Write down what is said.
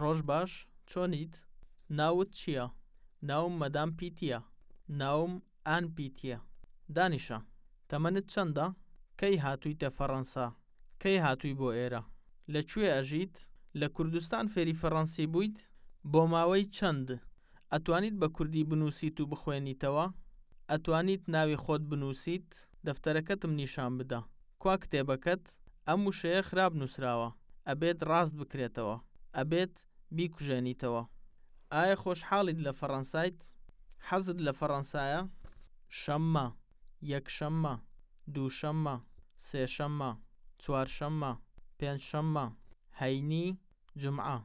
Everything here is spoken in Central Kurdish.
ڕۆژ باش، چۆنیت؟ ناوت چییە؟ ناوم مەدام پیتییە. ناوم ئان پیتییە. دانیشە. تەمەنت چەندە؟ کەی هاتوویتە فەڕەنسا؟ کەی هاتووی بۆ ئێرە؟ لە کوێ ئەژیت؟ لە کوردستان فێری فەڕەنسی بوویت؟ بۆ ماوەی چەند؟ ئەتوانیت بە کوردی بنووسیت و بخوێنیتەوە؟ ئەتوانیت ناوی خۆت بنووسیت؟ دەفتەرەکەتم نیشان بدە. کوا کتێبەکەت؟ ئەم وشەیە خراپ نووسراوە. ئەبێت ڕاست بکرێتەوە. ئەبێت بیکوژێنیتەوە. ئایا خۆشحاڵیت لە فەڕەنسایت؟ حەزت لە فەڕەنسایە؟ شەممە، یەکشەممە، دووشەممە، سێشەممە، چوارشەممە، پێنجشەممە، هەینی، جومعە.